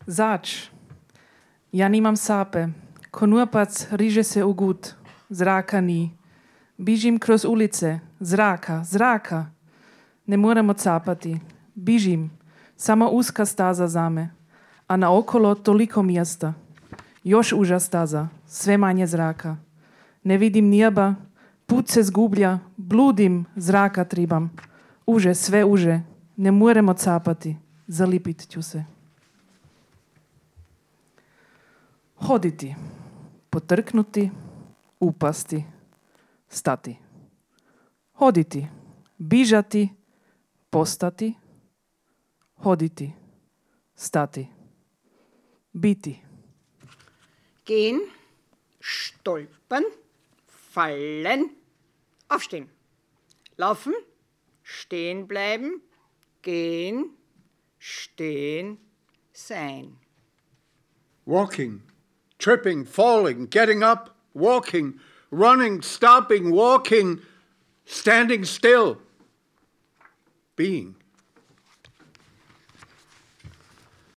Zač. Ja nimam sape. Konurpac riže se u gut. Zraka ni. Bižim kroz ulice. Zraka. Ne morem odsapati. Bižim. Samo uska staza zame. A naokolo toliko mjesta. Još uža staza. Sve manje zraka. Ne vidim nijeba. Put se zgublja. Bludim. Zraka tribam. Uže, sve uže. Ne morem odsapati. Zalipit ću se. Hoditi. Potrknuti. Upasti. Stati. Hoditi. Bižati. Postati. Hoditi. Stati. Biti. Gehen. Stolpern. Fallen. Aufstehen. Laufen. Stehen bleiben. Gehen. Stehen. Sein. Walking. Tripping, falling, getting up, walking, running, stopping, walking, standing still, being.